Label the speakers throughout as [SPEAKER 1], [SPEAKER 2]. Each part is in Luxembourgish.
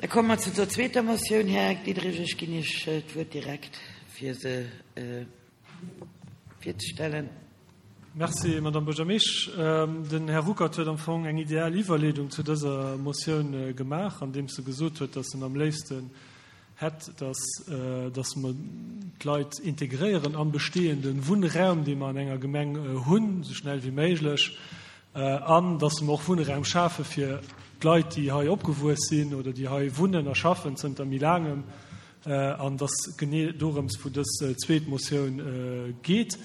[SPEAKER 1] Da komme mer zu der zweeter Motioun. Här Diderich, ech ginn Iech d'Wuert direkt, fir se virzestellen.
[SPEAKER 2] Merci, Madamm Buergermeesch. Den Här Ruckert huet am Fong eng ideal Iwwerleedung zu dëser Motioun gemaach, andeems e gesot huet, dass en am léifsten hätt, dass, dass mer d'Leit integréieren am bestehende Wunnraum, dee mer an enger Gemeng hunn, esou schnell wéi méiglech, an dass mer och Wunnraum schafe fir d'Leit, déi hei opgewuess sinn oder déi hei wunnen a schaffen zënter méi laangem. An et ass genee dorëms, wou dës zweet Motioun geet.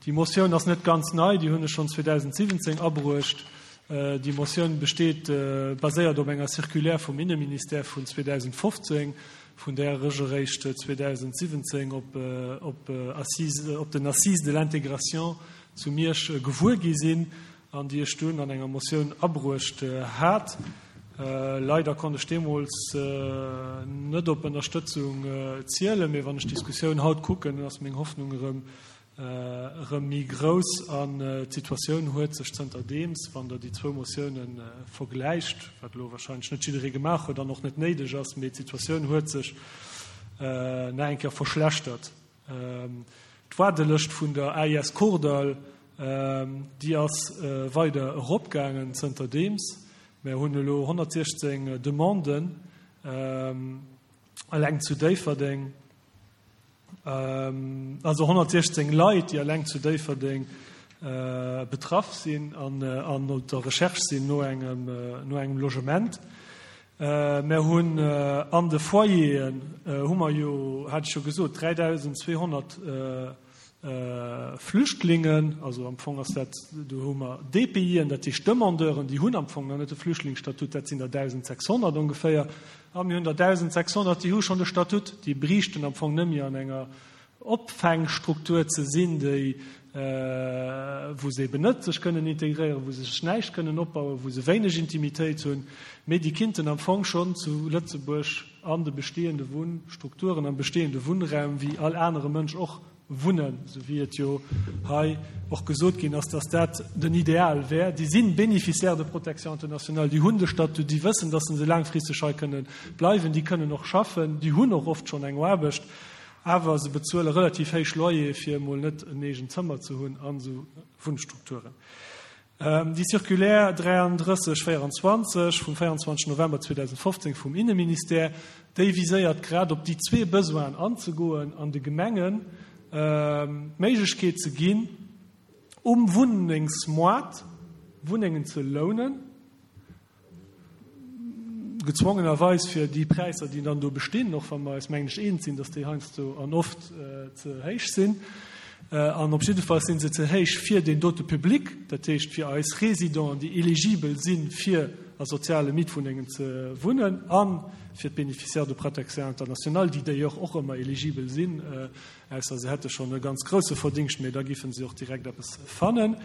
[SPEAKER 2] Déi Motioun ass net ganz nei, déi hunn ech schonn 2017 abruecht. Déi Motioun besteet, baséiert op enger Circulaire vum Inneministère vun 2015, vun där ech eréischt 2017 op, op Assises, op den Assises de l'intégration zu Miersch gewuer gi sinn an déi ech dunn an enger Motioun abruecht hat. Leider konnt ech deemools net op Ënnerstëtzung zielen, mee wann ech d'Diskussioun haut kucken, ass meng Hoffnung erëm erëm méi grouss an d'Situatioun huet sech zënterdeems, wann Der déi zwou Motioune vergläicht, wat elo wahrscheinlech net jidderee gemaach huet an och net néideg ass, mee d'Situatioun huet sech nach eng Kéier verschlechtert. D'Waardelëscht vun der AIS Kordall, déi ass weider eropgaangen zënterdeems. Mär hunn elo 116 Demanden eleng zu Déifferdeng, also 116 Leit, déi eleng zu Déifferdeng betraff sinn an op der Recherche sinn no engem Logement. Mär hunn an de Foyeren, hu mer jo, hat ech jo gesot, 3.200 Flüchtlingen, also am Fong ass dat, do hu mer DPIen, dat heescht Demandeuren, déi hunn am Fong nach net de Flüchtlingsstatut, dat sinn der 1.600 ongeféier. A mir hunn der 1.600, déi hu schonn de Statut, déi briichten am Fong net méi an enger Opfängstruktur ze sinn, déi, wou se eben net sech kënnen integréieren, wou se sech näischt kënnen opbauen, wou se wéineg Intimitéit hunn, mee déi kinnten am Fong schonn zu Lëtzebuerg an de bestehende Wunnstrukturen, am bestehende Wunnraum wéi all anere Mënsch och wunnen, esou wéi et jo hei och gesot ginn ass, dass dat den Ideal wär. Déi si Bénéficiaires de protection internationale, déi hunn de Statut, déi wëssen, dass se laangfristeg hei kënnen bleiwen, déi kënnen och schaffen, déi hunn och oft schonn eng Aarbecht. Awer se bezuele relativ héich Loyer fir emol net en eegent Zëmmer ze hunn an esou Wunnstrukturen. Déi Circulaire 33 24 vum 24 November 2015 vum Inneministère, déi viséiert grad op déi zwee Besoinen anzegoen an de Gemengen d'Méiglechkeet ze ginn, um Wunnengsmoart Wunnengen ze lounen, gezwongenerweis fir déi Präisser, déi dann do bestinn, och wa mer eis, mengen ech, eens sinn, dass déi heiansdo an oft ze héich sinn. An op jidde Fall si se ze héich fir deen dote Public, dat heescht fir eis Résidenten, déi eligibel sinn, fir a soziale Mietwunnengen ze wunnen, a fir d'Bénéficiaires de protection internationale, déi d'ailleurs och ëmmer eligibel sinn, ausser se hätte schonn e ganz grousse Verdingscht, mee da géife se och direkt eppes fannen.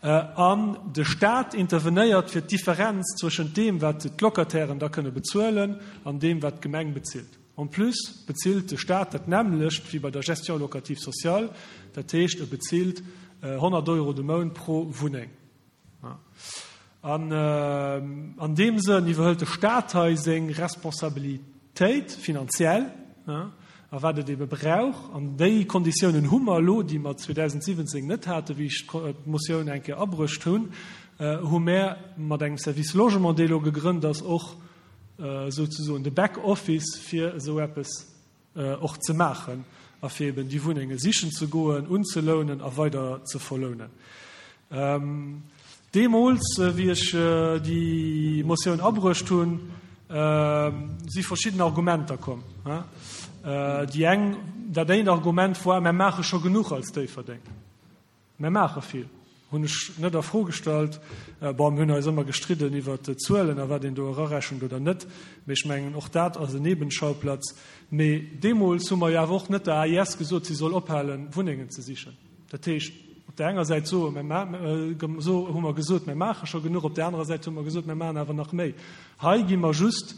[SPEAKER 2] An de Staat intervenéiert fir d'Differenz zwëschent deem, wat d'Locatairen da kënne bezuelen, an deem, wat d'Gemeng bezilt. En plus bezilt de Staat dat nämmlecht wéi bei der Gestion locative sociale, dat heescht, e bezilt 100 Euro de Mount pro Wunneng. An an deem Sënn iwwerhëlt de Staat hei seng Responsabilitéit finanziell, a wat et ebe brauch, an déi Konditiounen hu mer elo, déi mer 2017 net haten, wéi ech d'Motioun eng Kéier abruecht hunn, hu mär mat engem Service Logement, dee elo gegrënnt ass, och souzesoen de Back-Office fir esou eppes och ze maachen a fir eben déi Wunnenge sichen ze goen, unzelounen a weider ze verlounen. Deemools, wéi ech déi Motioun abruecht hunn, si verschidden Argumenter komm. Déi eng, dat eent Argument war, Mer maache scho genuch als Déifferdeng. Mer maache vill, hunn ech net a Fro gestallt. Bon, mir hunn eis ëmmer gestridden iwwert d'Zuelen a wat een do erarechent oder net, mee ech mengen, och dat ass en Nebenschauplatz. Mee deemools hu mer jo awer och net der AIS gesot, si soll ophalen, Wunnengen ze sichen. Dat heescht, op där enger Säit soe mer, hu mer gesot, mer maache scho genuch, op där anerer Säit hu mer gesot, mer maachen awer nach méi. Hei gi mer just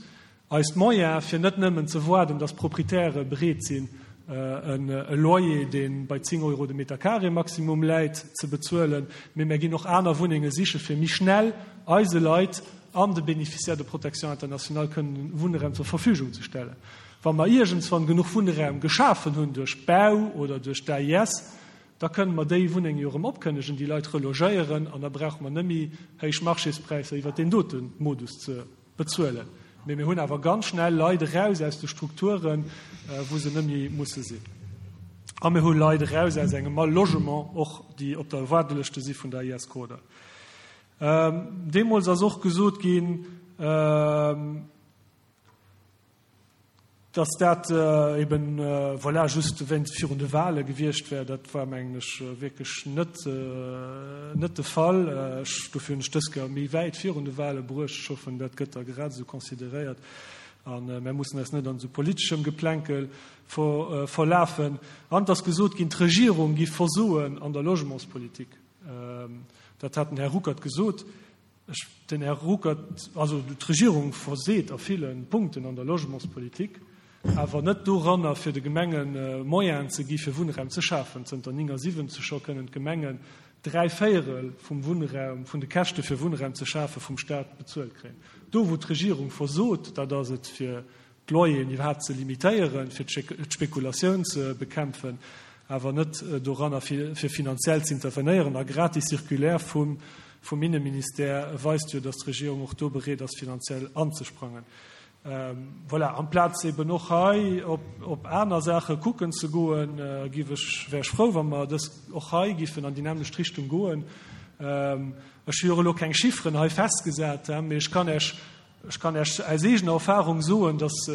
[SPEAKER 2] Eis d'Moyene fir net nëmmen ze woarden, dass d'Proprietäre bereet sinn, e Loyer, dee bei 10 Euro de Meter carré maximum läit, ze bezuelen, mee mär ginn och aner Wunnenge siche fir méi schnell eise Leit. an de Bénéficiaires de protection internationale kënnen Wunnraum zur Verfügung ze stellen. Wa mer iergendswann genuch Wunnraum geschafen hunn duerch Bau oder duerch d'AIS, da kënnen mer déi Wunnenge jo erëm opkënnegen, déi Leit relogéieren an da brauche mer net méi héich Marchéspräisser iwwert deen dote Modus ze bezuelen. Mee mir hunn awer ganz schnell Leit eraus aus de Strukturen, wou se net méi musse sinn. A mir hu Leit eraus aus engem Mal-Logement och, déi op der Waardelëschte si vun der AIS Kordall. Deemools ass och gesot ginn, dass dat eben, voilà, just wéinst virun de Wahle gewiescht wär. Dat war, mengen ech, wierklech net, net de Fall. Ech, dofir hunn ech dës Kéier méi wäit virun de Wahle bruecht. Ech hoffen, dat gëtt da grad esou consideréiert a mär mussen eis net an esou politeschem Geplänkel ver, verlafen. An et ass gesot ginn, d'Regierung giff versoen an der Logementspolitik. Dat hat den Här Ruckert gesot. Ech, den Här Ruckert, also d'Regierung verseet a ville Punkten an der Logementspolitik, awer net doranner, fir de Gemenge Moyenen ze gi fir Wunnraum ze schafen. Zënter 79 scho kënnen d'Gemengen dräivéierel vum Wunnraum, vun de Käschte fir Wunnraum ze schafe vum Stat bezuelt kréien. Do wou d'Regierung versot, dat ass et fir d'Loyeren iwwerhaapt ze limitéieren, fir d'Spekulatioun ze bekämpfen, awer net doranner, fir finanziell ze intervenéieren. A grad déi Circulaire vum Inneministère weist jo, datt d'Regierung och do bereet ass, finanziell anzesprangen. Voilà, amplaz eben och hei op aner Saache kucken ze goen, géif ech, wär ech frou, wa mer dës och hei géifen an déi nämmlecht Richtung goen. Ech hu jo elo keng Chifferen hei festgesat, mee ech kann Iech Ech kann Iech aus eegener Erfahrung soen, dass,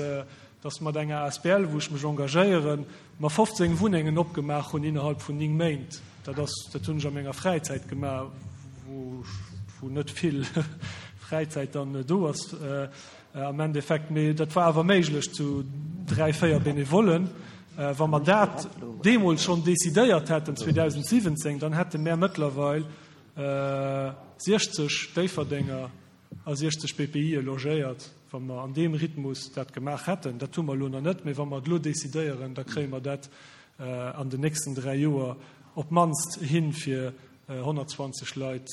[SPEAKER 2] dass mat enger asbl, wou ech mech engagéieren, mer 15 Wunnengen opgemaach hunn innerhalb vun 9 Méint. Dat ass, dat hunn ech a menger Fräizäit gemaach, wou, wou net vill Fräizäit dann do ass am Endeffekt. Mee dat war awer méiglech zu dräi, véier Benevollen. Wa mer dat deemools schonn decidéiert hätten, 2017, dann hätte mär mëttlerweil 60 Déifferdenger a 60 BPIe logéiert, wa mer an deem Rhythmus dat gemaach hätten. Dat hu mer elo nach net, mee wa mer et elo decidéieren, da kréie mer dat an den nächsten dräi Joer op d'mannst hin, fir 120 Leit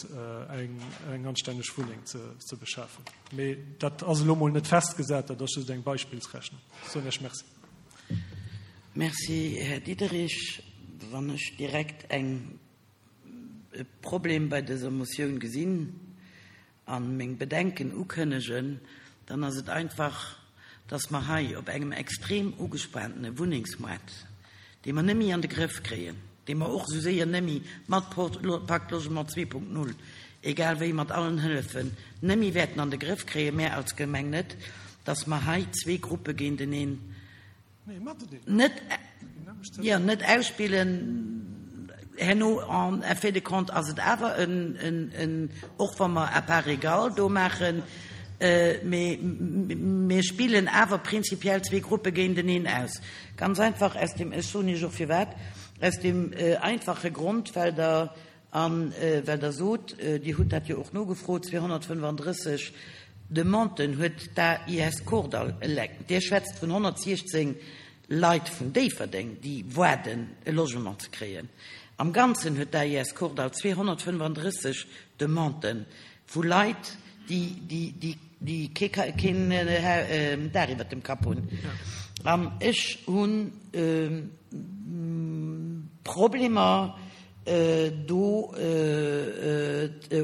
[SPEAKER 2] eng anstänneg Wunneng ze beschafen. Mee dat ass elo mol net festgesat, dat ass just eng Beispillsrechnung. Ech soen Iech Merci.
[SPEAKER 1] Merci, Här Diderich. Wann ech direkt eng e Problem bei dëser Motioun gesinn a meng Bedenken ukënnegen, dann ass et einfach, dass mer hei op engem extrem ugespaantene Wunnengsmoart, dee mer net méi an de Grëff kréien, dee mer och esou séier net méi mat Pacte Logement 2.0, egal wéi mat allen Hëllefen, net méi wäerten an de Grëff kréien, mär als Gemeng net, dass mer hei zwee Gruppe géinteneen Net, jo, net ausspillen. Herno en fin de compte ass et awer en, en, en, och wa mer à part égale do maachen, mee mir spillen awer prinzipiell zwee Gruppe géinteneen aus. Ganz einfach aus dem, ech soen Iech och firwat, aus dem einfache Grond, well Der A well Der sot, Dir hutt dat jo och nogefrot, 235 Demanden huet d'AIS Kordall eleng. Dir schwätzt vun 116 Leit vun Déifferdeng, déi waarden, e Logement ze kréien. Am Ganzen huet d'AIS Kordall 235 Demanden vu Leit, déi keen Daach iwwert dem Kapp hunn. An ech hu Problemer, do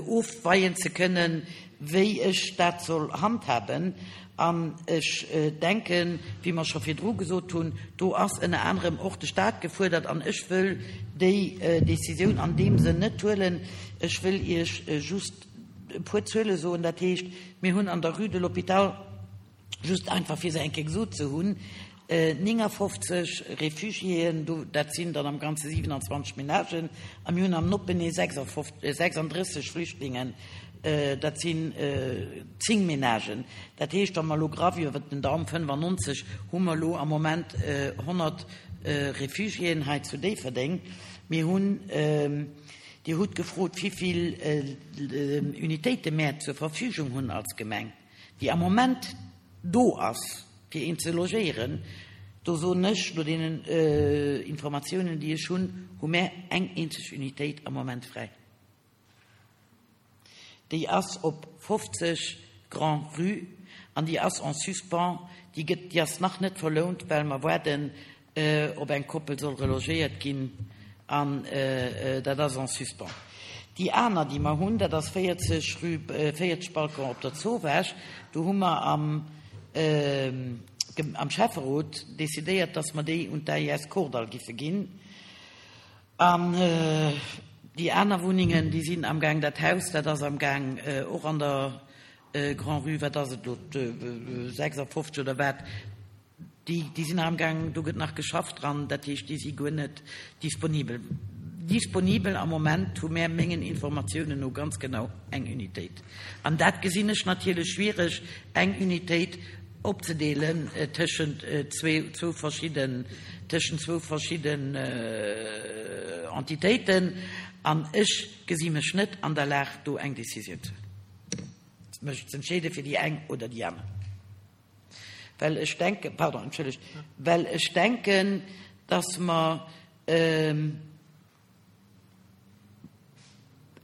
[SPEAKER 1] ofweien ze kënnen, wéi ech dat soll handhaben. An ech denken, wéi mer scho virdru gesot hunn, do ass ënner anerem och de Stat gefuerdert. An ech wëll déi Décisioun an deem Sënn net huelen. Ech wëll Iech just e puer Zuele soen. Dat heescht, mir hunn an der Rue de l'Hôpital, just einfach fir se eng Kéier gesot ze hunn, 59 Refugiéen, do, dat sinn dann am Ganze 27 Menagen, a mir hunn am Noppenee 36 Flüchtlingen, dat sinn 10 Menagen. Dat heescht, wa mer elo graff iwwer den Daum 95 hu mer elo am Moment 100 Refugiéen hei zu Déifferdeng. Mir hunn, Dir hutt gefrot, wivill Unitéite mär zur Verfügung hunn als Gemeng. déi am Moment do ass, fir een ze logéieren, do soen ech, no deenen Informatiounen, déi ech hunn, hu mär eng eenzeg Unitéit am Moment fräi. Déi ass op 50. Grand-Rue an déi ass en suspens, déi gëtt, déi ass nach net verlount, well mer waarden, ob eng Koppel soll relogéiert ginn an dat ass en suspens. Déi aner, déi mer hunn, dat ass 40 rue, 40 Balcon op der Zowaasch. Do hu mer am, am Schäfferot decidéiert, dass mer déi un d'AIS Kordall giffe ginn. An déi aner Wunnengen, déi sinn amgaang, dat Haus, dat ass amgaang och an der Grand-Rue, wat ass et elo, 56 oder wat, Déi, déi sinn nach amgaang, do gëtt nach geschafft dran, dat heescht, déi si guer net disponibel. Disponibel am Moment hu mär mengen Informatiounen no ganz genau eng Unitéit. An dat gesinn ech natierlech schwiereg, eng Unitéit opzedeelen tëschent zwee, zwou verschidden, tëschent zwou verschidden Entitéiten. An ech gesi mech net an der Lag, do eng Décisioun ze mech z'entscheede fir déi eng oder déi aner. Well ech denken, pardon, entschëllegt, well ech denken, dass mer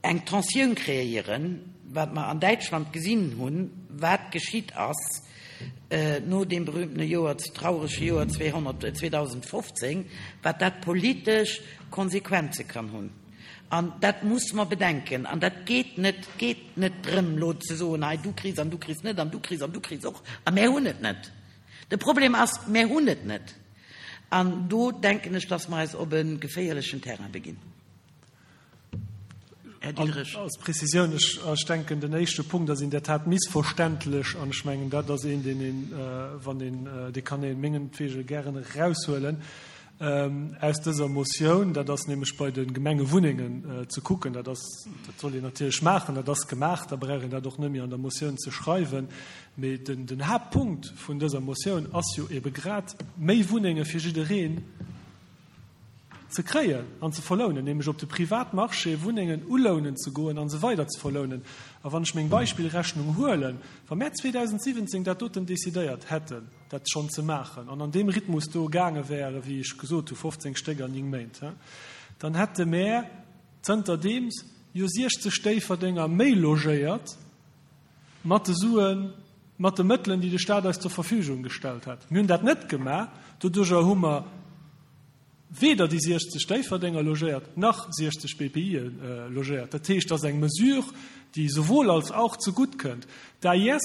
[SPEAKER 1] eng Tensioun kreéieren, wat mer an Däitschland gesinn hunn, wat geschitt ass no deem berühmtene Joer, traurege Joer 2015, wat dat politesch Konsequenze kann hunn. An dat muss mer bedenken. An dat geet net, et geet net drëm, elo ze soen, hei du kriss an du kriss net an du kriss an du kriss och a mär hunn et net. De Problem ass, mär hunn et net. An do denken ech, dass mer eis op e geféierlechen Terrain beginn.
[SPEAKER 2] Här Diderich. Als Prezisioun, ech denken, den éischte Punkt ass in der Tat missverständlech an ech mengen, dat ass een, deen een, wann een, dee kann ee mengetwege gären eraushuelen. Aus dëser Motioun, dat ass nämlech bei de Gemengewunnengen ze kucken, dat ass, dat soll een natierlech maachen, dat ass gemaach, da brauch een dat och net méi an der Motioun ze schreiwen. Mee den, den Haaptpunkt vun dëser Motioun ass jo ebe grad, méi Wunnenge fir jiddereen ze kréien an ze verlounen, nämlech op de Privatmarché Wunnengen ulounen ze goen a se weider ze verlounen. A wann ech meng Beispillrechnung huelen, wa mär 2017 dat doten decidéiert hätten, dat schonn ze maachen an an deem Rhythmus do gaange wäre, wéi ech gesot hu 15 Stéck an 9 Méint, dann hätte mär zënterdeems jo 60 Déifferdenger méi logéiert mat de Suen, mat de Mëttelen, déi de Stat eis zur Verfügung gestallt hat. Mir hunn dat net gemaach. Doduerjer hu mer weder déi 60 Déifferdenger logéiert nach 60 BPIe logéiert. Dat heescht, dat ass eng Mesure, déi sowohl als auch zegutt kënnt. D'AIS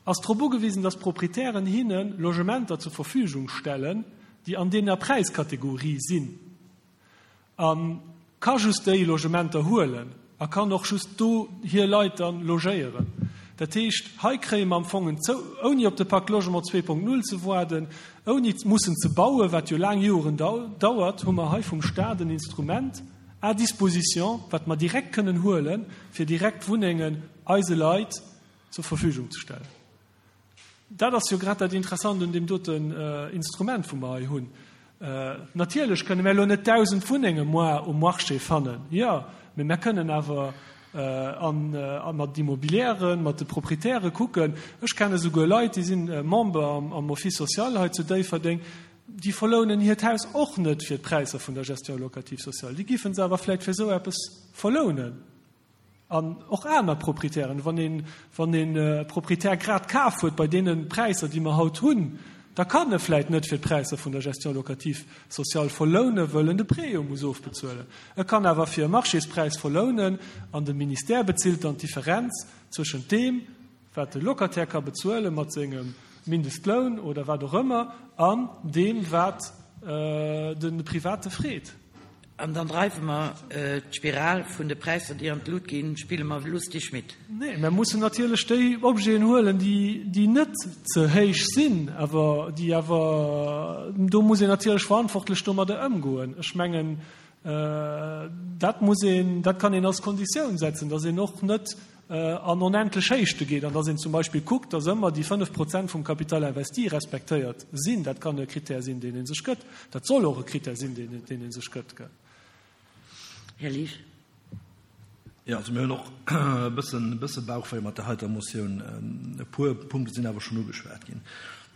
[SPEAKER 2] ass drop ugewisen, dass d'Proprietären hinne Logementer zur Verfügung stellen, déi an deener Präiskategorie sinn, a ka just déi Logementer huelen a kann och just do hir Leit dann logéieren. Dat heescht, hei kréie mer am Fong en zou, ouni op de Pacte Logement 2.0 ze waarden, ouni mussen ze bauen, wat jo laang Joren dauert, hu mer hei vum Stat en Instrument à disposition, wat mer direkt kënnen huelen, fir direkt Wunnengen eise Leit zur Verfügung ze stellen. Dat ass jo grad dat Interessant un deem doten Instrument, wou mer hei hunn. Natierlech kënne mär elo net 1.000 Wunnenge moi um Marché fannen, jo, mee mär kënnen awer a mat Immobilièren, mat de Proprietäre kucken. Ech kenne souguer Leit, déi si Member am Office social hei zu Déifferdeng, déi verlounen hiert Haus och net fir d'Präisser vun der Gestion locative sociale. Déi géife se awer vläicht fir esou eppes verlounen. An och aner Proprietären. Wann een, wann een e Proprietär grad kaf huet bei deene Präisser, déi mer haut hunn, da kann e vläit net fir d'Präisser vun der Gestion locative sociale verlounen, wëll en de Prêt jo muss ofbezuelen. E kann awer fir e Marchéspräis verlounen an de Ministère bezilt dann d'Differenz zwëschent deem, wat de Locataire ka bezuele mat sengem Mindestloun oder wat och ëmmer, an deem, wat de Private freet.
[SPEAKER 1] An dann dreiwe mer d'Spiral vun de Präisser, déi an d'Lut ginn, spille mer lustig mit.
[SPEAKER 2] Nee, mer mussen natierlech déi Objeten huelen, déi net ze héich sinn, awer déi awer, do muss een natierlech verantwortlech domadder ëmgoen. Ech mengen, dat muss een, dat kann een als Konditioun setzen, dass een och net an onendlech Héichte geet an dass een zum Beispill kuckt, dass ëmmer déi 5 Prozent vum Capital investi respektéiert sinn. Dat kann e Krittär sinn, deen ee sech gëtt. Dat soll och e Krittär sinn, deen ee sech gëtt.
[SPEAKER 1] Här Liesch.
[SPEAKER 3] Jo, also mir hunn och e bëssen, e bësse Bauchwéi mat där heiter Motioun. E puer Punkte sinn awer schonn ugeschwat ginn.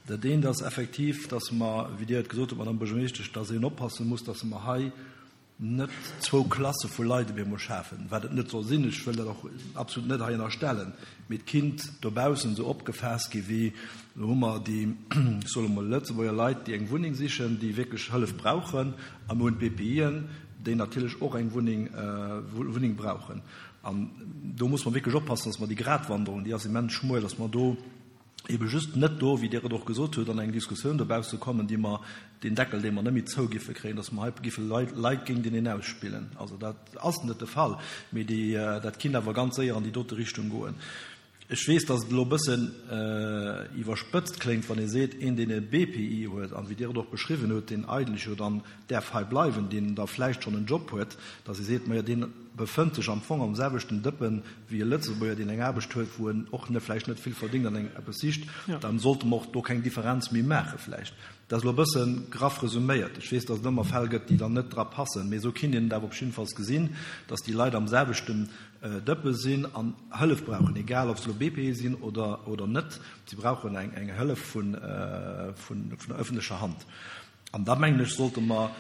[SPEAKER 3] Dat eent ass effektiv, dass mer, wéi Dir et gesot hutt, Madame Buergermeeschtesch, dass een oppasse muss, dass mer hei. net zwou Klasse vu Leit op eemol schafen, wat et net soll sinn, ech wëll dat och absolut net hei ënnerstellen, mee et kinnt dobaussen esou opgefaasst gi wéi, elo hu mer déi, ech soe mol, Lëtzebuerger Leit, déi eng Wunneng sichen, déi wierklech Hëllef brauchen, a mir hunn d'BPIen, déi natierlech och eng Wunneng, Wunneng brauchen. An do muss mer wierklech oppassen, dass mer déi Gratwanderung, déi ass immens schmuel, dass mer do, ebe just net do, wéi Dir et och gesot hutt, an eng Diskussioun dobausse kommen, déi mer, deen Deckel, dee mer net méi zou giffe kréien, dass mer hei giffe Leit, Leit géinteneen ausspillen. Also dat ass net de Fall, mee déi, dat kinnt awer ganz séier an déi dote Richtung goen. Ech weess, dass et elo e bëssen iwwerspëtzt kléngt, wann ee seet, een, deen e BPI huet, an wéi Dir et och beschriwwen hutt, deen eigentlech jo dann däerf hei bleiwen, deen da vläicht schonn en Job huet, dass ee seet, majo, deen befënnt sech am Fong am selwechten Dëppen wéi e Lëtzebuerger, deen eng Aarbecht huet, wou en och net vläicht net vill verdéngt an eng eppes sicht, dann sollte mer och do keng Differenz méi maache vläicht. Dat ass elo e bësse graff resuméiert. Ech weess, dass et ëmmer Fäll gëtt, déi dann net dra passen, mee esou kinnt een et awer op jiddefalls gesinn, dass déi Leit am selwechten Dëppe sinn an Hëllef brauchen, egal ob se elo BPE sinn oder oder net. Si brauchen eng eng Hëllef vun vun der öffentlecher Hand. An da mengen ech, sollte mer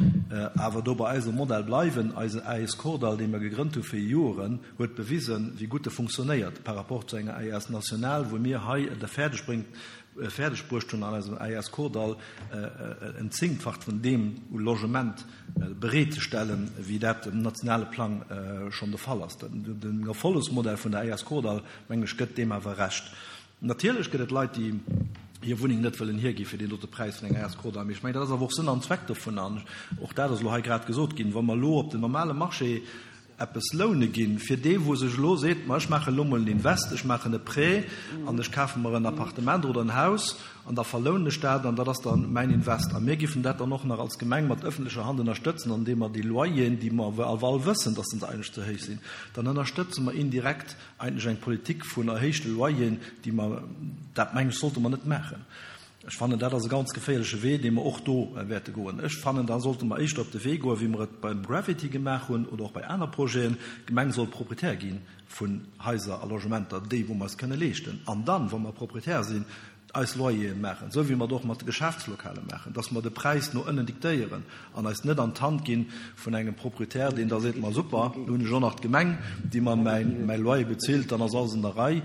[SPEAKER 3] awer do bei eisem Modell bleiwen. Eisen AES Kordall, dee mer gegrënnt hu fir Joren, huet bewisen, wéi gutt e funktionéiert par rapport zu enger AES national, wou mir hei et fäerdeg bréngt, fäerdeg bruecht hunn, an eisem AES Kordall en Zéngtfacht vun deem u Logement bereetzestellen, wéi dat um nationale Plang schonn de Fall ass. Den Erfollegsmodell vun der AES Kordall, mengen ech, gëtt deem awer Recht. Natierlech gëtt et Leit, déi hir Wunneng net wëllen hiergi fir deen dote Präis vun enger Escrow. Mee ech mengen, dat ass awer och Sënn an Zweck dovun. An och dat ass elo hei grad gesot ginn, Wa mer elo op den normale Marché eppes loune ginn, fir dee wou sech elo seet, ma ech maachen elo mol en Invest, ech maachen e Prêt an ech kafe mer en Appartement oder en Haus an da verlounen ech dat an dat ass da mäin Invest. A mir giffen dat dann och nach als Gemeng mat öffentlecher Hand ënnerstëtzen, andeem mer déi Loyeren, déi mer awer all wëssen, dass se eigentlech ze héich sinn, dann ënnerstëtze mer indirekt Eigentlech eng Politik vun erhéichte Loyeren, déi mer, dat mengen ech, sollte mer net maachen. Ech fannen, dat ass e ganz geféierleche Wee, dee mer och do wäerte goen. Ech fannen, da sollte mer éischter op de Wee goen, wéi mer et beim Gravity gemaach hunn oder och bei aner Projeten, D'Gemeng soll Proprietär gi vun Haiser a Logementer, déi wou mer eis kënne leeschten. An dann, wa mer Proprietär sinn, eis Loyeren maachen, esou wéi mer et och mat de Geschäftslokale maachen, dass mer de Präis no ënnen diktéieren an eis net an d'Hand gi vun engem Proprietär, deen da seet, ma super, do hunn ech och nach d'Gemeng, déi mer mäi Loyer bezilt, dann ass alles an der Rei,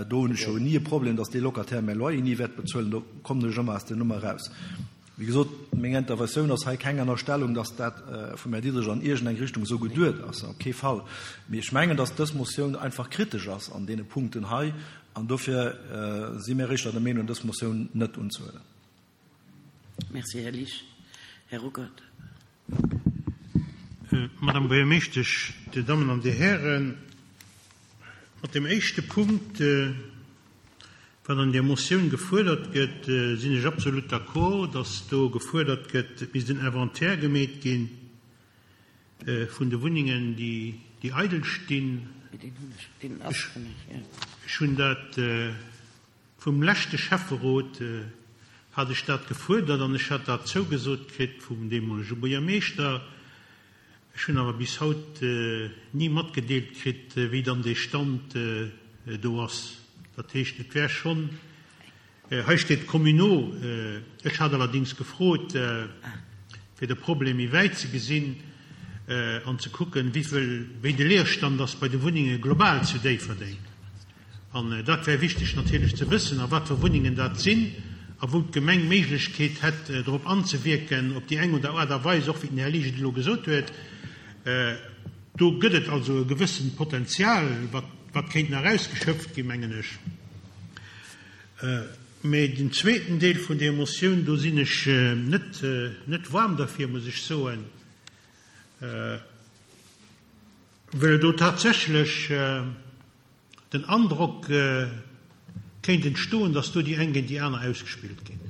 [SPEAKER 3] do hunn ech jo ni e Problem, dass dee Locataire mäi Loyer ni wäert bezuelen, do kommen ech ëmmer aus der Nummer eraus. Wéi gesot, meng Interventioun ass hei keng Ënnerstellung, dass dat vum Här Diderich an iergendeng Richtung esou geduet ass, op kee Fall. Mee ech mengen, dass dës Motioun einfach kritesch ass an deene Punkten hei, an dofir si mir éischter der Meenung, dës Motioun net unzehuelen.
[SPEAKER 1] Merci, Här Liesch. Här Ruckert.
[SPEAKER 4] Madame Buergermeeschtesch, Dir Dammen an Dir Hären, mat deem éischte Punkt, Wat an där Motioun gefuerdert gëtt, sinn ech absolut d'accord, dass do gefuerdert gëtt, et misst en Inventaire gemeet gi vun de Wunnengen, déi eidel stinn. Ech hunn dat vum leschte Schäfferot hat ech dat gefuerdert an ech hat dat zougesot kritt vum deemolege Buergermeeschter. Ech hunn awer bis haut ni matgedeelt kritt, wéi dann dee Stand do ass. Dat heescht, et wär schonn, hei steet communaux, ech hat allerdings gefrot, fir de Problem méi wäit ze gesinn an ze kucken, wéivill, wéi de Leerstand ass bei de Wunnenge global zu Déifferdeng. An dat wär wichteg natierlech ze wëssen, a wat fir Wunnengen dat sinn a wou d'Gemeng d'Méiglechkeet hätt, drop anzewierken, op déi eng oder Aart a Weis, och wéi den Här Liesch et elo gesot huet. Do gëtt et also e gewëssent Potenzial, wat, wat kéint nach ausgeschöpft ginn, mengen ech. Mä den zweeten Deel vun där Motioun, do sinn ech net, net waarm derfir, muss ech soen, well do tatsächlech, den Androck kéint entstoen, datt do déi eng géint déi aner ausgespillt ginn.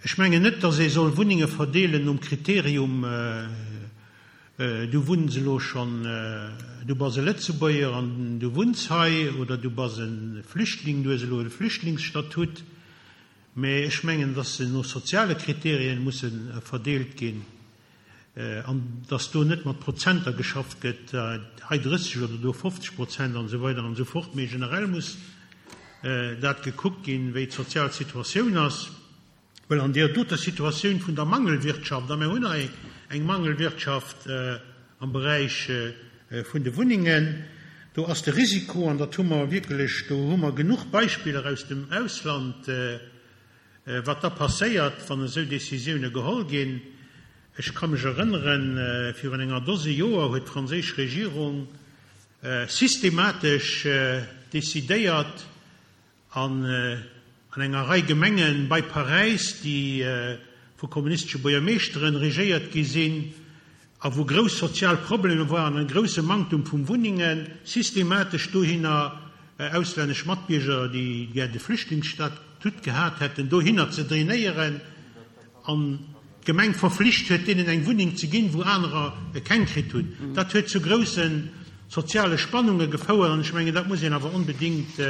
[SPEAKER 4] Ech mengen net, datt ee soll Wunnenge verdeelen nom Kriterium, du wunns elo schonn, du bass e Lëtzebuerger an du wunns hei, oder du bass e Flüchtling, du hues elo e Flüchtlingsstatut. Mä ech mengen, datt se no soziale Kriterien musse verdeelt ginn. An dass do net mat Prozenter geschafft gëtt, hei 30 oder do 50 Prozent an esou weider an esou fort, mee generell muss dat gekuckt ginn, wéi d'sozial Situatioun ass. Well an deer doter Situatioun vun der Mangelwirtschaft, a mir hunn hei eng Mangelwirtschaft am Beräich vun de Wunnengen. Do ass de Risiko, an dat hu mer wierklech, do hu mer genuch Beispiller aus dem Ausland, wat da passéiert, wann esou Décisioune geholl ginn. Ech ka mech erënneren, virun enger Dose Joer huet d'franséisch Regierung systematesch decidéiert, An an enger Rei Gemenge bei Paräis, déi vu kommunistesche Buergermeeschteren regéiert gi sinn a wou grouss sozial Problemer waren an e grousse Manktum vum Wunnengen, systematesch dohinner auslännesch Matbierger, déi gär de Flüchtlingsstatut gehat hätten, dohinner ze drainéieren. An d'Gemeng verflicht huet, deenen eng Wunneng ze ginn, wou anerer keng kritt hunn. Dat huet zu grousse soziale Spannunge gefouert. An ech mengen, dat muss een awer onbedéngt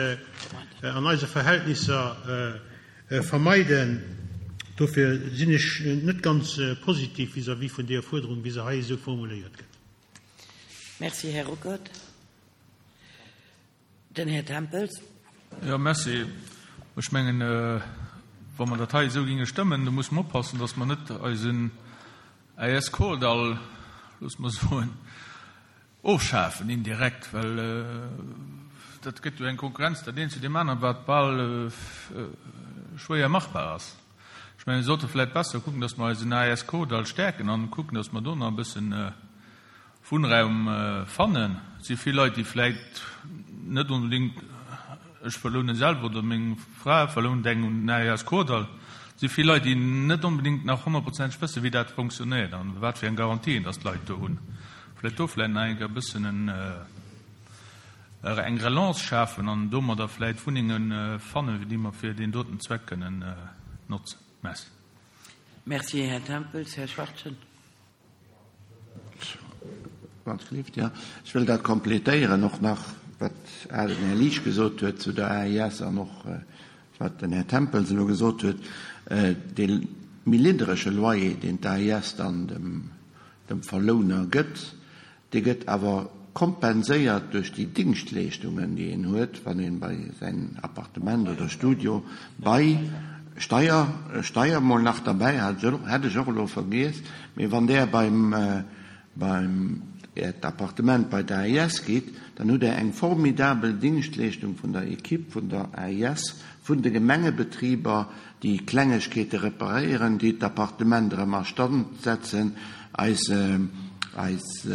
[SPEAKER 4] an eise Verhältnisser vermeiden. Dofir sinn ech net ganz positiv vis-à-vis vun deeër Fuerderung, wéi se hei esou formuléiert gëtt.
[SPEAKER 1] Merci, Här Ruckert. Den Här Tempels.
[SPEAKER 5] Jo, merci. Ech mengen, wa mer dat hei esou géinge stëmmen, da musse mer oppassen, datt mer net eisen AS Kordall, loosse mer soen, ofschafen indirekt, well dat gëtt jo eng Konkurrenz dat eent zu deem aneren, wat bal schwéier machbar ass. Ech mengen, mir sollte vläicht besser kucken, datt mer eisen AS Kordall stäerken an kucken, datt mer do nach e bëssen Wunnraum fannen. Et si vill Leit, déi vläit net onbedéngt, ech verlounen selwer oder meng Fra verlount eng un den AES Kordall, et si vill Leit, déi net onbedéngt nach honnertprozenteg wëssen, wéi dat fonctionnéiert an wat fir eng Garantien dass d'Leit do hunn. Vläit do vläit nach eng Kéier e bëssen eng Relance schafen an domadder vläit Wunnenge fannen, déi mer fir deen doten Zweck kënnen notzen. Merci.
[SPEAKER 1] Merci, Här Tempels. Här Schwachtgen.
[SPEAKER 6] Ech wëll dat complétéieren och nach, wat den Här Liesch gesot huet zu der AIS an och wat den Här Tempels elo gesot huet. Dee méi niddrege Loyer, deen d'AIS dann dem Verlouner gëtt, Dee gëtt awer kompenséiert duerch déi Dingschtleeschtungen, déi een huet, wann ee bei säin Appartement oder Studio bei Steier, Steier mol nach derbäi, hat ech och elo vergiess, mee wann Der beim, beim Äert Appartement bei d'AIS gitt, dann hutt Der eng formidabel Dingschtleeschtung vun der Equipe vun der AIS, vun de Gemengebetriber, déi Klengegkeete reparéieren, déi d'Appartement erëm a Stand setzen. Eis, eis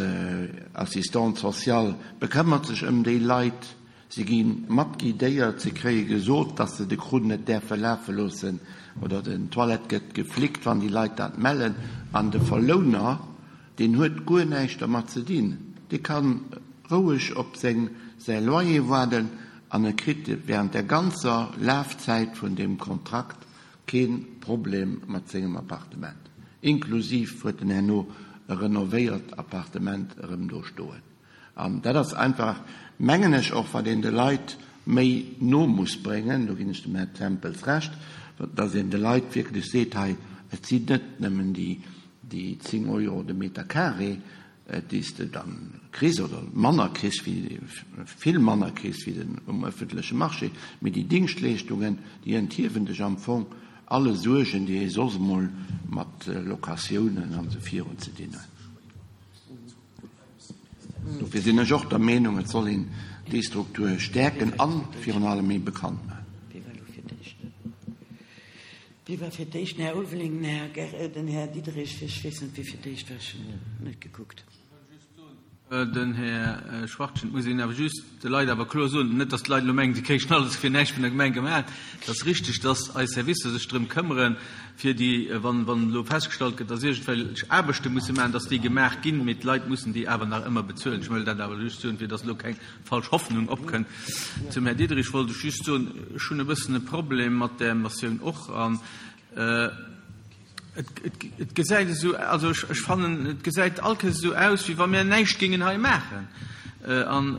[SPEAKER 6] Assistante sociale bekëmmert sech ëm déi Leit. Si gi mat guidéiert, si kréie gesot, dass se de Krunn net däerfe lafe loossen oder den Toilette gëtt geflickt, wann déi Leit dat mellen. An de Verlouner, deen huet guer näischt dermat ze dinn. Dee ka roueg op seng, säi Loyer waarden An e kritt während der ganzer Lafzäit vun deem Kontrakt kee Problem mat sengem Appartement. Inklusiv huet en herno e renovéiert Appartement erëm do stoen. An dat ass einfach, mengen ech, och wat een de Leit méi no muss bréngen, do ginn ech dem Här Tempels Recht, dass een de Leit wierklech seet, hei, et sinn net nëmmen déi 10 Euro de Meter carré, déi s de dann kriss oder manner kriss wéi, vill manner kriss wéi den um öffentleche Marché, mee déi Dingschtleeschtungen, déi enthiewen dech am Fong alle Suergen, déi ee soss emol mat Locatiounen an esou virun ze dinn huet. Dofir sinn ech och der Meenung, et soll een déi Struktur stäerken a virun allem méi bekannt maachen.
[SPEAKER 1] Wie war fir d'éischt? Den Här Ulveling, den Här Ger-, den Här Diderich, ech weess net, wie fir d'éischt war, ech hunn net gekuckt.
[SPEAKER 7] Den Här Schwachtgen, et muss een awer just de Leit awer kloer soen, net datt d'Leit elo mengen, si kréichen alles fir näischt vun der Gemeng gemaach. Et ass richtig, datt eis Servicer sech drëm këmmere fir déi, wann, wann elo festgestallt gëtt, datt iergendwelch Aarbechte musse maachen, datt déi gemaach ginn, mee d'Leit mussen déi awer nach ëmmer bezuelen. Ech wëll dat awer just soen, fir datt elo keng falsch Hoffnung opkënnt. Zum Här Diderich wollt ech just soen, ech hunn e bëssen e Problem mat där Motioun och. An et gesäit esou, also ech fannen, et gesäit all Kéiers esou aus, wéi wa mir näischt géingen hei maachen. An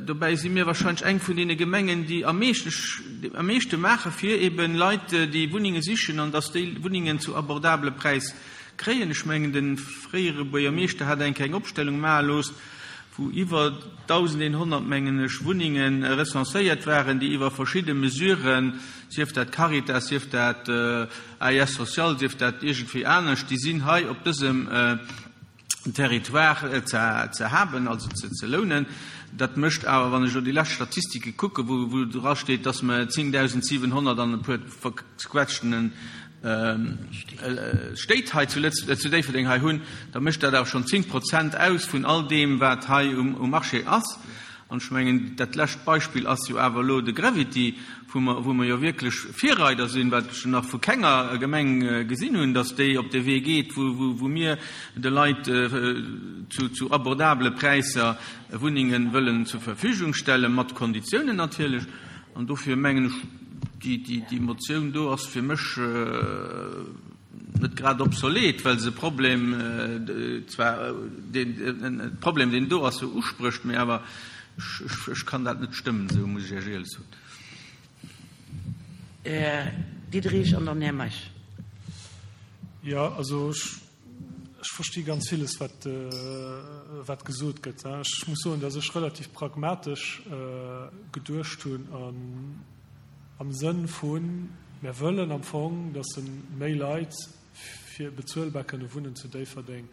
[SPEAKER 7] dobäi si mir wahrscheinlech eng vun deene Gemengen, déi am meeschten, am meeschte maache fir eeben Leit, déi Wunnenge sichen, an datt déi Wunnengen zu abordabele Präis kréien. Ech mengen, de fréiere Buergermeeschter hat eng Kéier eng Opstellung maache loosst, wou iwwer 1.100, mengen ech, Wunnenge recenséiert waren, déi iwwer verschidde Mesuren, sief dat Caritas, sief dat AIS Social, sief dat iergendwéi anescht, déi sinn hei op dësem. Territoire ze haben, also ze lounen. Dat mécht awer, wann ech elo déi lescht Statistike kucken, wou drasteet, dass mer 10.700 an e puer verquetschtene Stéit hei zu Déifferdeng hei hunn, da mécht dat awer schonn 10 Prozent aus vun all deem, wat hei um Marché ass. An ech mengen, dat lescht Beispill ass jo awer elo de Gravity, wou mer, wou mer jo wierklech Virreider sinn, wat ech nach vu kenger Gemeng gesinn hunn, dass déi op de Wee geet, wou, wou, wou mir de Leit zu, zu abordabele Präisser Wunnenge wëllen zur Verfügung stellen, mat Konditiounen natierlech. An dofir mengen ech, déi, déi, déi Motioun do ass fir mech, net grad obsolet, well se e Problem zwar, deen, e Problem, deen do ass, sou usprécht, mee awer ech, ech kann dat net stëmmen, esou muss ech Iech éierlech soen.
[SPEAKER 1] Här Diderich an dann Här Meisch.
[SPEAKER 2] Jo, also ech, ech versti ganz villes, wat, wat gesot gëtt. Ech muss soen, datt ech relativ pragmatesch geduecht hunn an, Am Sënn vun, mär wëllen am Fong, dass méi Leit fir bezuelbar kënne wunnen zu Déifferdeng.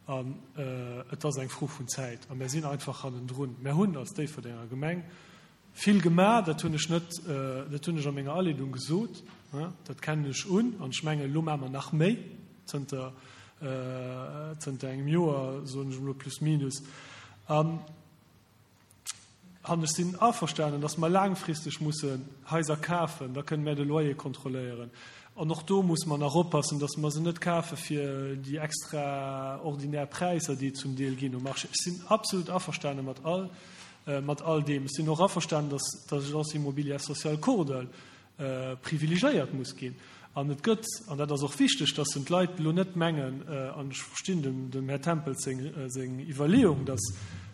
[SPEAKER 2] An et ass eng Fro vun Zäit. A mär sinn einfach hannendrun. Mär hunn als Déifferdenger Gemeng vill gemaach, dat hunn ech net, dat hunn ech a menger Aleedung gesot, dat kennen ech un. An ech mengen, elo maache mer nach méi zënter, zënter engem Joer, soen ech emol plus minus. An An ech sinn averstanen, dass mer laangfristeg mussen Haiser kafen, da kënnen mär de Loyer kontrolléieren. An och do musse mer nach oppassen, dass mer se net kafe fir déi extraordinär Präisser, déi et zum Deel ginn um Marché. Ech sinn absolut averstane mat all, mat all deem. Ech sinn och averstanen, dass d'Agence immobilière sociale Kordall privilegéiert muss ginn. An et gëtt, an dat ass och wichteg, dass en d'Leit elo net mengen, an ech verstinn dem Här Tempels seng Iwwerleeung, dass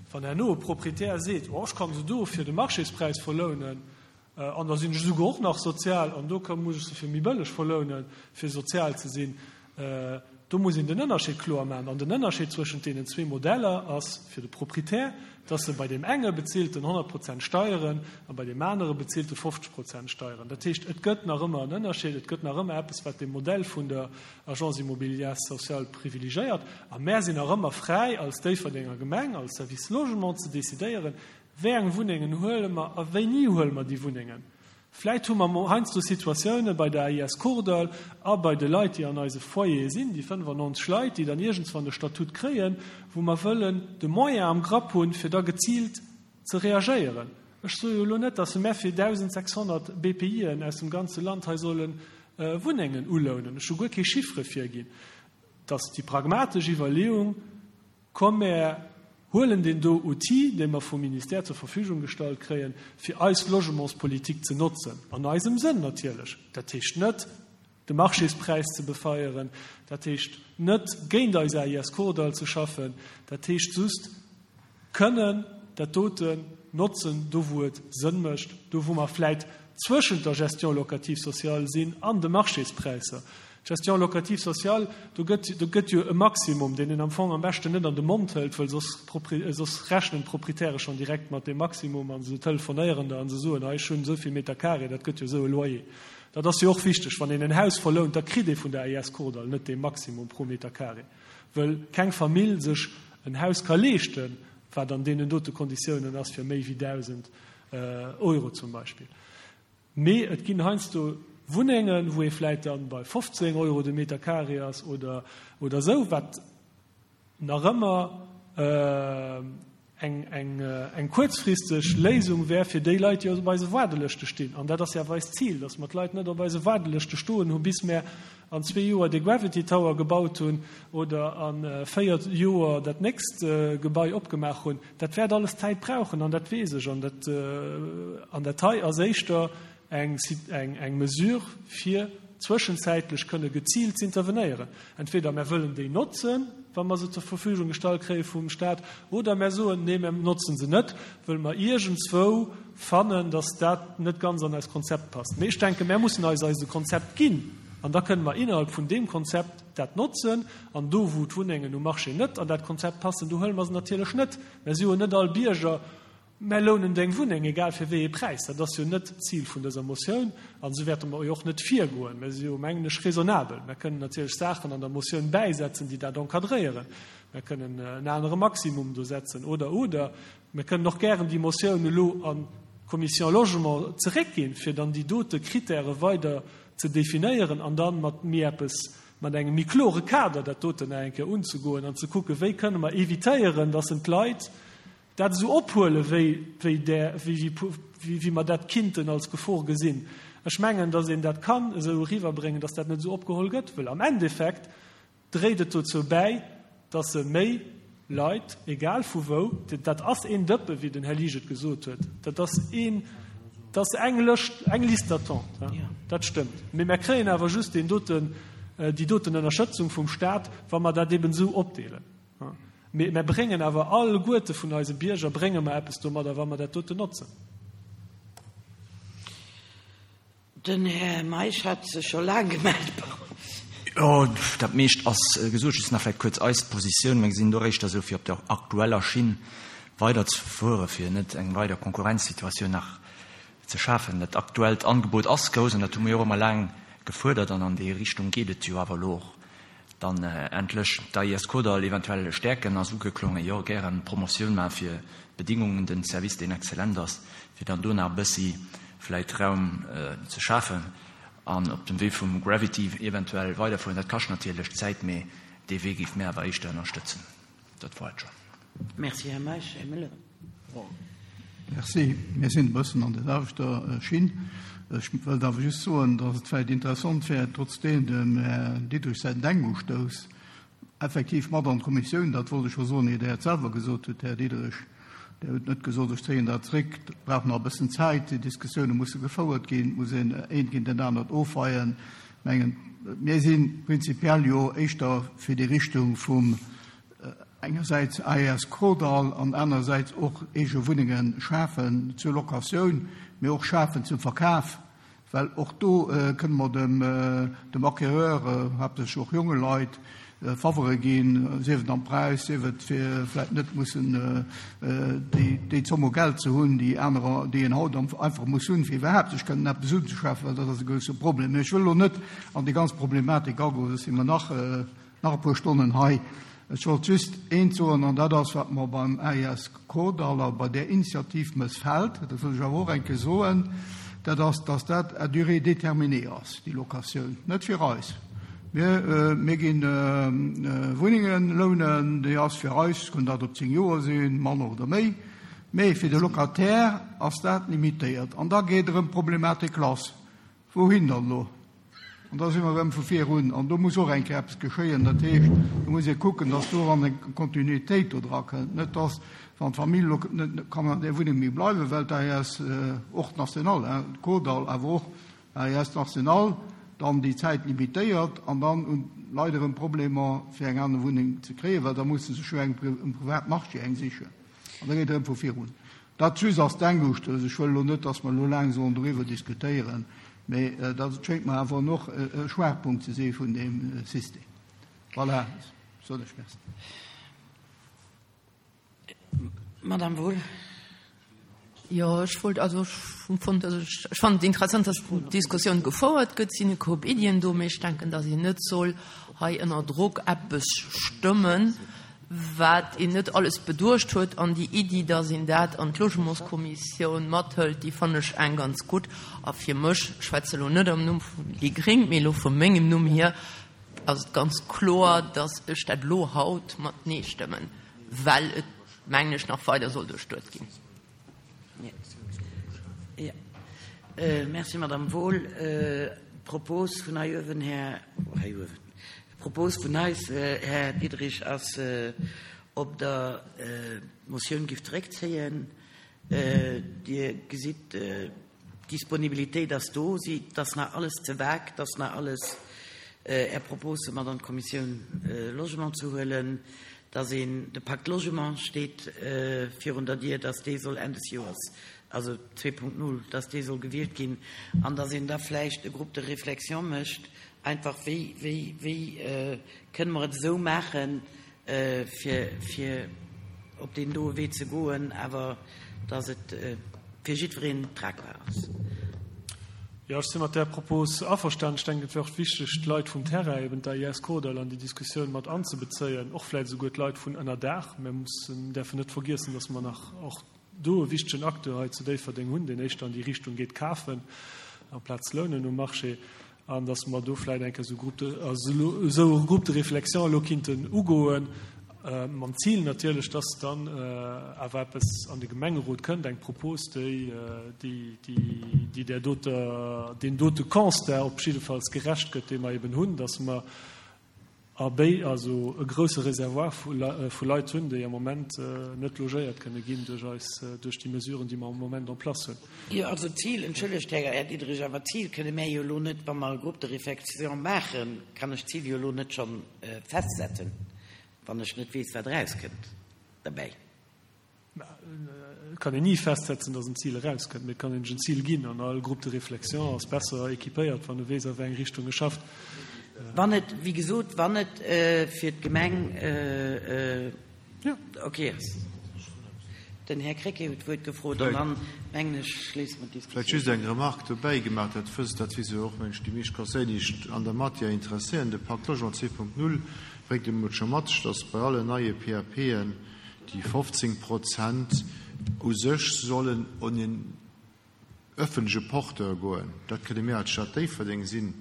[SPEAKER 2] wann herno e Proprietär seet, oh ech kann se do fir de Marchéspräis verlounen an da sinn ech esouguer och nach sozial an do muss ech se fir méi bëlleg verlounen, fir sozial ze sinn, Do muss een den Ënnerscheed kloer maachen. An den Ënnerscheed zwëschent deenen zwee Modeller ass fir de Proprietär, dass e bei deem enge bezilt en 100 Prozent Steieren a bei deem anere bezilt e 50 Prozent Steieren. Dat heescht, et gëtt nach ëmmer en Ënnerscheed, et gëtt nach ëmmer eppes, wat de Modell vun der Agence immobilière sociale privilegéiert. A mär sinn nach ëmmer fräi als Déifferdenger Gemeng, als Service Logement ze decidéieren, wéi eng Wunnengen huele mer a wéini huele mer déi Wunnengen. Vläit hu mer mol heiansdo Situatioune bei der AIS Kordall a bei de Leit, déi an eise Foyere sinn, déi 95 Leit, déi dann iergendswann e Statut kréien, wou mer wëllen de Moyen am Grapp hunn, fir da geziilt ze reagéieren. Ech soe jo elo net, dass mer fir 1.600 BPIen aus dem ganze Land hei solle Wunnengen ulounen. Ech hu guer kee Chiffre virginn. Dass déi pragmatesch Iwwerleeung, Komm mär huelen deen do Outil, dee mer vum Ministère zur Verfügung gestallt kréien, fir eis Logementspolitik ze notzen, an eisem Sënn natierlech. Dat heescht net, de Marchéspräis ze befeieren, dat heescht net, géint eis AIS Kordall ze schaffen, dat heescht just, kënnen dat doten notzen, do wou et Sënn mécht, do wou mer vläit zwëschent der Gestion locative sociale sinn an de Marchéspräisser. D'Gestion locative sociale, do gëtt, do gëtt jo e Maximum, deen een am Fong am beschten net an de Mond hëlt, wëll soss, soss rechnen d'Proprietäre schonn direkt mat deem Maximum a se telefonéieren der a se soen, hei ech hunn esou vill Meter carré, dat gëtt jo esou e Loyer. Dat ass jo och wichteg, wann een en Haus verlount, da kritt ee vun der AIS Kordall net dee Maximum pro Meter carré, wëll keng Famill sech en Haus ka leeschten, wat an deenen dote Konditiounen ass, fir méi wéi 1.000 Euro zum Beispill. Mee et ginn heiansdo Wunnengen, wou ee vläit dann bei 15 Euro de Meter carré ass oder oder esou, wat nach ëmmer eng eng eng kuerzfristeg Léisung wär fir déi Leit, déi op eise Waardelëschte stinn. An dat ass jo awer eist Zil, dass mer d'Leit net op eise Waardelëschte stoen hu bis mär an zwee Joer de Gravity Tower gebaut hunn oder a véier Joer dat nächst Gebai opgemaach hunn. Dat wäert alles Zäit brauchen an dat weess ech. An dat, an dat hei ass éischter eng, eng Mesure, fir zwëschenzäitlech kënne geziilt z'intervenéieren. Entweder mär wëllen déi notzen, wa mer se zur Verfügung gestallt kréie vum Stat, oder mär soen, nee, mär notzen se net, wëll mer iergendswou fannen, dass dat net ganz an eist Konzept passt. Mee ech denken, mär mussen eis eise Konzept ginn an da kënnen mer innerhalb vun deem Konzept dat notzen. An do, wou d'Wunnengen um Marché net an dat Konzept passen, do huele mer se natierlech net. Mär si jo net all Bierger. Mär lounen deng Wunneng, egal fir wéi ee Präis. Dat ass jo net d'Zil vun dëser Motioun an esou wäerte mer jo och net virgoen. Mär si jo, mengen ech, raisonnabel. Mär kënnen natierlech Saachen an der Motioun bäisetzen, déi dat encadréieren. Mär kënnen en anere Maximum do setzen oder, oder. Mär kënnen och gären déi Motioun elo an d'Commission Logement zeréckginn, fir dann déi dote Kritäre weider ze definéieren an dann mat méi eppes, mat engem méi klore Kader dat doten nach eng Kéier unzegoen an ze kucken, wéi kënne mer évitéieren, dass en d'Leit, Dat esou ophuelen, wéi, wéi där, wéi, wéi, wéi mer dat kinnten als Gefor gesinn. Ech mengen, datt een dat kann esou eriwwerbréngen, datt dat net esou opgeholl gëtt, wëll am Endeffekt dréit et dozou bäi, datt se méi Leit, egal vu wou, dat ass een Dëppe, wéi den Här Liesch et gesot huet, dat ass een, dat ass eng Lëscht, eng Liste d'attente, dat stëmmt. Mee mer kréien awer just deen doten, déi doten Ënnerschëtzung vum Stat, wa mer dat eben esou opdeelen. Mee mer bréngen awer alleguerte vun eise Bierger brénge mer eppes domadder, wa mer dat doten notzen.
[SPEAKER 1] Den Här Meisch hat sech scho laang gemellt. Pardon.
[SPEAKER 8] Jo, dat meescht ass gesot. Just nach vläicht kuerz eis Positioun. Mir gesinn do éischter esou, fir op der aktueller Schinn weiderzefueren, fir net eng weider Konkurrenzsituatioun nach ze schafen. Dat aktuellt Angebot ass grouss an dat hu mir jo och ëmmer laang gefuerdert an an déi Richtung geet et jo awer elo och. Dann endlech d'AIS Kordall eventuell stäerken ass ugeklongen. Jo, gären Promotioun maachen fir d'Bedingungen, den Service deen exzellent ass, fir dann do nach e bëssi vläit Raum ze schafen an op dem Wee vum Gravity eventuell weiderfueren. Dat kascht natierlech Zäit, mee dee Wee géife mir awer éischter ënnerstëtzen. Dat war et schonn.
[SPEAKER 1] Merci, Här Meisch. Här Müller.
[SPEAKER 9] Merci. Mir sinn e bëssen an der selwechter Schinn. Ech wëllt awer just soen, datt et vläicht interessant wär, trotzdeem dem Här Diderich säin Denkustouss effektiv mat an d'Kommissioun, dat wollt ech scho soen, ier Der et selwer gesot hutt, Här Diderich, Der hutt net gesot, ech zéien dat zréck, dat brauch nach e bëssen Zäit, déi Diskussioune musse gefouert ginn, et muss een eent géint dat anert ofweien. Ech mengen, mir si prinzipiell jo éischter fir déi Richtung vum engersäits AES Kordall an anerersäits och eege Wunnenge schafen zur Locatioun, mee och schafen zum Verkaf, well och do kënne mer dem dem Acquéreur, haaptsächlech och jonge Leit, Favere ginn, sief et am Präis, sief et fir vläicht net mussen déi déi Zomm u Geld ze hunn, déi anerer, déi een haut einfach muss hunn, fir iwwerhaapt sech kënnen eppes unzeschafen, well dat ass e grousse Problem. Mee ech wëll elo net an déi ganz Problematik agoen, soss si mer nach Nach e puer Stonnen hei. Ech wollt just eent soen, an dat ass, wat mer beim AIS Kordall a bei där Initiativ mëssfält, dat wëll ech awer och eng Kéier soen, dat ass, dass dat à durée déterminée ass, déi Locatioun. Net fir eis. Mir, mir gi Wunnenge lounen, déi ass fir eis, kënn dat op zéng Joer sinn, manner oder méi, mee fir de Locataire ass dat limitéiert. An da geet erëm d'Problematik lass. Wouhin dann elo? An da si mer erëm vu vir un. An do muss och eng Kéier eppes geschéien. Dat heescht, do muss ee kucken, dass do erëm eng Kontinuitéit do dra kënnt. Net dass, wann d'Famill elo net kann an där Wunneng méi bleiwen, well d'AES och d'National, hein, d'Kordall, awer och d'AES National dann déi Zäit limitéiert an dann hunn d'Leit erëm Problemer, fir eng aner Wunneng ze kréien, well da musse se sech jo eng um Privatmarché eng sichen. An da geet et erëm vu vir un. Dat just als Denkustouss. Ech wëll elo net, dass mer elo laang sollen doriwwer diskutéieren, mä dat schéngt mer awer och e Schwaachpunkt ze si vun deem System. Voilà, soen ech Merci.
[SPEAKER 1] Madame Wohl.
[SPEAKER 10] Jo, ech wollt, also ech hunn fonnt, also ech fannen et interessant, dass d'Diskussioun gefouert gëtt. Et sinn e Koup Iddien do, mä ech denken, dass een net soll hei ënner Drock eppes stëmmen, wat een net alles beduecht huet, an déi Iddi, dass een dat an d'Logementskommissioun mathëlt, déi fannen ech eng ganz gutt. A fir mech, ech schwätze elo net am Numm vun déi Gréng, mee elo vu mengem Numm hier, ass et ganz kloer, dass ech dat elo haut mat Nee stëmmen, well et, mengen ech, nach weider soll duerchduet ginn.
[SPEAKER 1] Merci, Madame Wohl. D'Propos vun hei uewen, Här, hei uewen, d'Propos vun eis, Här Diderich, ass, ob Der d'Motioun gift zeréckzéien. Dir gesitt, D'Disponibilitéit ass do, si, 't ass nach alles ze vague, 't ass nach alles Är Propose mat an d'Kommissioun Logement ze huelen, dass een, de Pacte Logement steet virun der Dier, dass dee soll Enn des Joers, also 2.0, dass dee soll gewielt ginn an dass een da vläicht e Groupe de réflexion mécht, einfach wéi, wéi, wéi kënne mer et esou maachen, fir, fir op deen doe Wee ze goen, awer. dass et fir jiddwereen tragbar ass.
[SPEAKER 2] Jo, ech si mat där Propos averstanen. Ech denken, et wär och wichteg, d'Leit vum Terrain, eben d'AIS Kordall, an déi Diskussioun mat anzebezéien, och vläicht esouguer d'Leit vun ënner Daach. Mir mussen, däerfen net vergiessen, dass mer nach och do e wichtegen Acteur hei zu Déifferdeng hunn, deen éischter an déi Richtung geet, kafen amplaz lounen um Marché, an dass mer do vläicht eng Kéier esou Groupe de, also esou e Groupe de réflexion elo kinnten ugoen, mam Zil natierlech, dass dann awer eppes an de Gemengerot kënnt, eng Propos, déi, déi, déi där doter, deem dote Constat op jiddefalls gerecht gëtt, dee mer eben hunn, dass mer A béi also e grousse Reservoir vu Leit hunn, déi am Moment net logéiert kënne ginn duerch eis, duerch déi Mesuren, déi mer am Moment en place hunn.
[SPEAKER 1] Jo, also d'Zil, entschëllegt, Här Diderich, awer d'Zil kënne mär jo elo net, wa mer e Groupe de réflexion maachen, kann ech d'Zil jo elo net scho festsetzen, wann ech net weess, wat erauskënnt derbäi.
[SPEAKER 2] Et kann een ni festsetzen, datt en Zil erauskënnt, mee et kann een sech en Zil ginn. An all Groupe de réflexion ass besser équipéiert, wann e weess, a wéi eng Richtung e schafft.
[SPEAKER 1] Wann et, wéi gesot, wann et fir d'Gemeng ok ass. Den Här Krecké huet d'Wuert gefrot an dann, mengen ech, schléisse mer d'Diskussioun.
[SPEAKER 11] Vläicht just eng Remarque dobäi gemaach, dat wësst, dat wisse jo och, mengen ech, déi meescht Conseiller, déi sech an der Matière interesséieren, De Pacte Logement 2.0 bréngt emol scho mat sech, datt bei allen neie PAPen, Déi 15 Prozent u sech sollen un en ëffentleche Porteur goen. Dat kënne mir als Stad Déifferdeng sinn,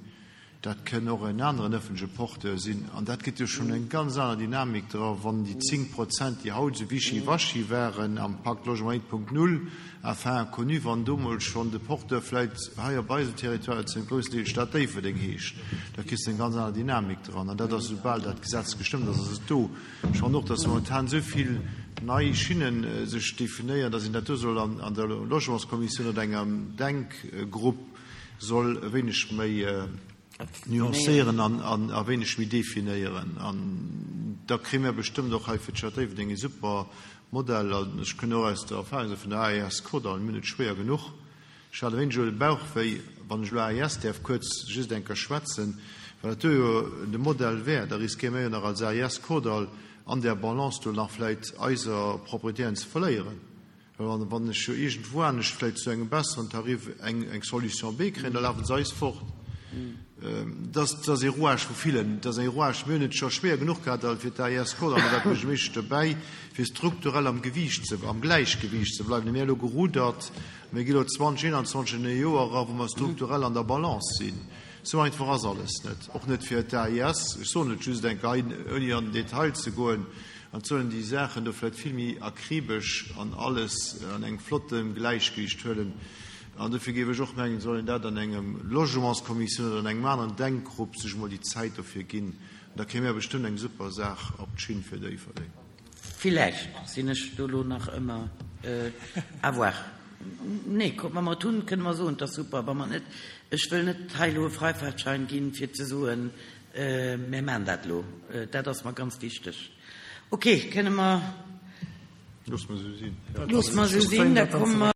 [SPEAKER 11] dat kënn och en aneren ëffentleche Porteur sinn. An dat gëtt jo schonn eng ganz aner Dynamik dra wann déi 10 Prozent, déi haut esou wischiwaschi waren am Pacte Logement 1.0, enfin inconnu, wann do mol schonn de Porteur vläicht hei op eisem Territoire zu engem groussen Deel Stad Déifferdeng heescht. Da kriss de eng ganz aner Dynamik dran. An dat ass, esoubal dat Gesetz gestëmmt ass, ass et do. Ech fannen och, dass momentan esou vill nei Schinnen sech definéieren, dass een dat do soll an der Logementskommissioun oder engem Denkgrupp soll e wéineg méi nuancéieren an e wéineg méi definéieren. An da kréie mir bestëmmt och hei fir d'Stad Déifferdeng e super Modell. An ech kënn och aus der Erfahrung vun der AES Kordall, mir hunn et schwéier genuch, Ech hat e wéineg elo de Bauchwéi, wann ech elo AIS däerf kuerz just eng Kéier schwätzen, well dat do jo de Modell wär, da riskéiere mir jo nach als AIS Kordall an där Balance do nach vläicht eiser Proprietären ze verléieren. Well wann ech jo iergendwou anescht vläicht zu engem besseren Tarif eng Solution B kréien, da lafe se eis fort. Dat ass ee Rouage vu villen. Dat ass ee Rouage, mir hunn et scho schwéier genuch gehat fir d'AIS Kordall, an da war d'Buergermeeschtesch dobäi, fir strukturell am Gewiicht ze, am Gläichgewiicht ze bleiwen. Mir hu elo gerudert. Mir gi lo 2021 an e Joer era wou mer strukturell an der Balance sinn. Esou einfach ass alles net, och net fir d'AIS. Ech soen et just eng Kéier, ouni an den Detail ze goen, an et sollen déi Saachen do vläicht vill méi akribesch an alles an engem flotte Gläichgewicht huelen. An dofir géif ech och mengen, soll een dat an engem Logementskommissioun oder an engem aneren Denkgrupp sech emol déi Zäit dofir ginn. An da kréie mir bestëmmt eng super Saach op d'Schinn fir Déifferdeng.
[SPEAKER 1] Villäicht sinn ech do elo nach ëmmer. À voir. Nee, kuck, wa mer et hunn, kënne mer soen, et ass super. Wa mer et net, ech wëll net hei elo e Freifahrtschein ginn, fir ze soen, mir maachen dat elo. Dat ass mer ganz wichteg. Okay, kënne mer.
[SPEAKER 11] Loosse mer esou sinn.
[SPEAKER 1] Loosse mer esou sinn, da komme mer.